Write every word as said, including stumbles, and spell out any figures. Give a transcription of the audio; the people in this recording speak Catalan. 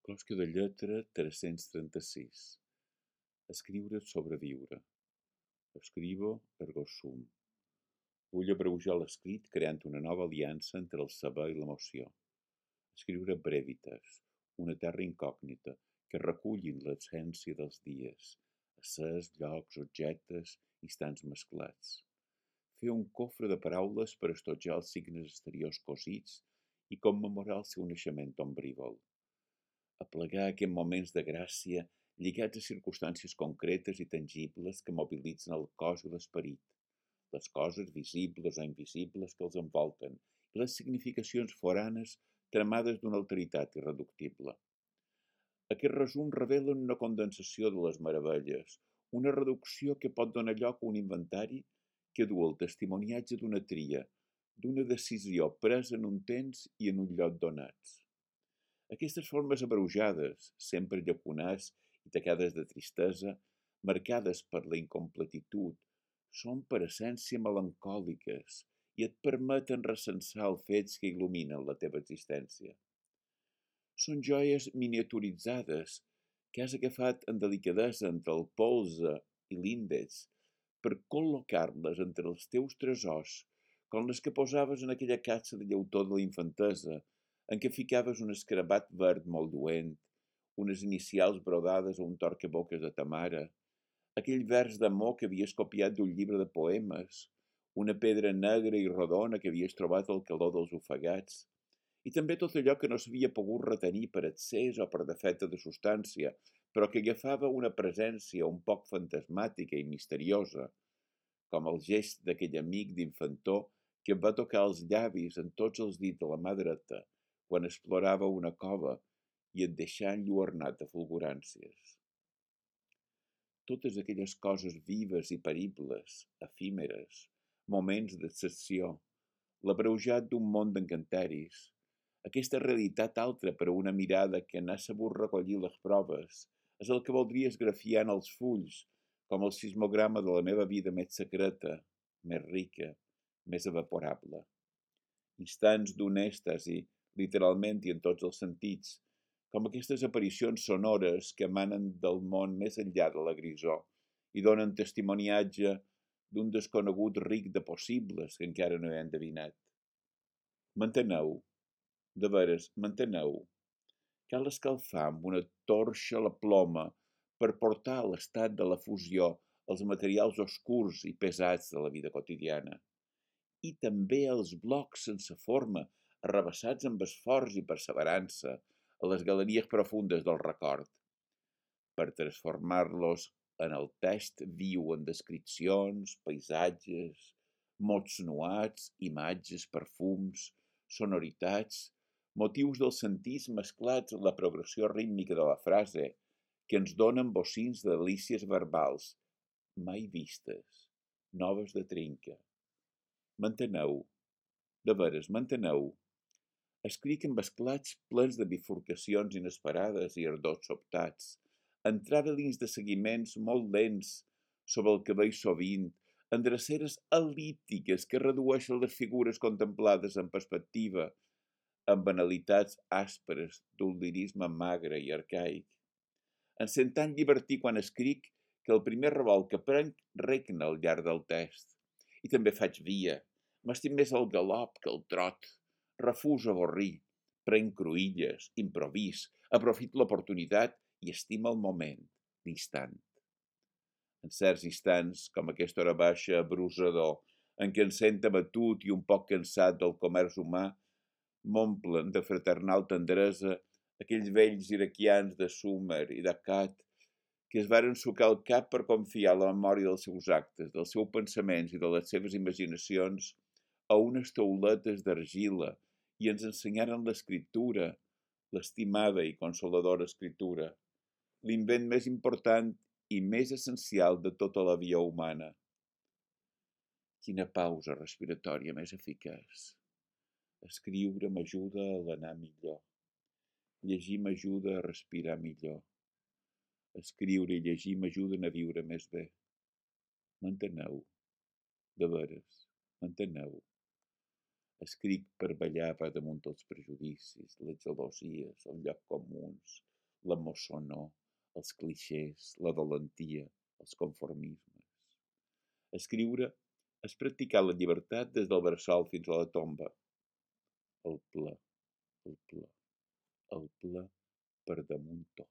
Closca de lletra tres-cents trenta-sis. Escriure és sobreviure. Escrivo ergo sum. Vull abreujar l'escrit creant una nova aliança entre el saber i l'emoció. Escriure brevitas, una terra incògnita que recullin l'essència dels dies, éssers, llocs, objectes, instants mesclats. Fer un cofre de paraules per estojar els signes exteriors cosits i commemorar el seu naixement ombrívol. Aplegar aquests moments de gràcia lligats a circumstàncies concretes i tangibles que mobilitzen el cos i l'esperit, les coses visibles o invisibles que els envolten i les significacions foranes tramades d'una alteritat irreductible. Aquest resum revela una condensació de les meravelles, una reducció que pot donar lloc a un inventari que du el testimoniatge d'una tria, d'una decisió presa en un temps i en un lloc donats. Aquestes formes abreujades, sempre llacunaç i tacades de tristesa, marcades per la incompletitud, són per essència melancòliques i et permeten recensar els fets que il·luminen la teva existència. Són joies miniaturitzades que has agafat en delicadesa entre el polze i l'índex per col·locar-les entre els teus tresors, com les que posaves en aquella caixa de llautó de la infantesa, en què ficaves un escarabat verd molt lluent, unes inicials brodades a un torcaboques de ta mare, aquell vers d'amor que havies copiat d'un llibre de poemes, una pedra negra i rodona que havies trobat al calor dels ofegats, i també tot allò que no s'havia pogut retenir per excés o per defecte de substància, però que agafava una presència un poc fantasmàtica i misteriosa, com el gest d'aquell amic d'infantor que em va tocar els llavis en tots els dits de la mà dreta quan explorava una cova i et deixà enlluernat de fulguràncies. Totes aquelles coses vives i peribles, efímeres, moments d'excepció, l'abreujat d'un món d'encanteris, aquesta realitat altra per a una mirada que n'ha sabut recollir les proves, és el que voldria esgrafiar en els fulls, com el sismograma de la meva vida més secreta, més rica, més evaporable. Instants d'un èxtasi, literalment i en tots els sentits, com aquestes aparicions sonores que emanen del món més enllà de la grisor i donen testimoniatge d'un desconegut ric de possibles que encara no he endevinat. M'enteneu? De veres, m'enteneu? Cal escalfar amb una torxa la ploma per portar a l'estat de la fusió els materials oscurs i pesats de la vida quotidiana. I també els blocs sense forma, arrabassats amb esforç i perseverança a les galeries profundes del record, per transformar-los en el text viu en descripcions, paisatges, mots nuats, imatges, perfums, sonoritats, motius dels sentits mesclats en la progressió rítmica de la frase, que ens donen bocins de delícies verbals, mai vistes, noves de trinca. M'enteneu? De veres, m'enteneu? Escric amb esclats plens de bifurcacions inesperades i ardors sobtats, en travelings de seguiments molt lents sobre el que veig sovint, en dreceres el·líptiques que redueixen les figures contemplades en perspectiva, amb banalitats àsperes d'un lirisme magre i arcaic. Em sent tan llibertí quan escric que el primer revolt que prenc regna al llarg del text. I també faig via. M'estim més el galop que el trot. Refuso avorrir. Prenc cruïlles, improvís, aprofito l'oportunitat i estimo el moment, l'instant. En certs instants, com aquesta hora baixa abrusador, en què em sent abatut i un poc cansat del comerç humà, m'omplen de fraternal tendresa aquells vells iraquians de Sumer i d'Akkad que es varen sucar el cap per confiar la memòria dels seus actes, dels seus pensaments i de les seves imaginacions a unes tauletes d'argila i ens ensenyaren l'escriptura, l'estimada i consoladora escriptura, l'invent més important i més essencial de tota la via humana. Quina pausa respiratòria més eficaç! Escriure m'ajuda a l'anar millor. Llegir m'ajuda a respirar millor. Escriure i llegir m'ajuden a viure més bé. M'enteneu? De veres, m'enteneu? Escric per ballar per damunt dels prejudicis, les gelosies, els llocs comuns, la mossonor, els clixés, la valentia, els conformismes. Escriure és practicar la llibertat des del bressol fins a la tomba. El ple, el ple, el ple per damunt tot.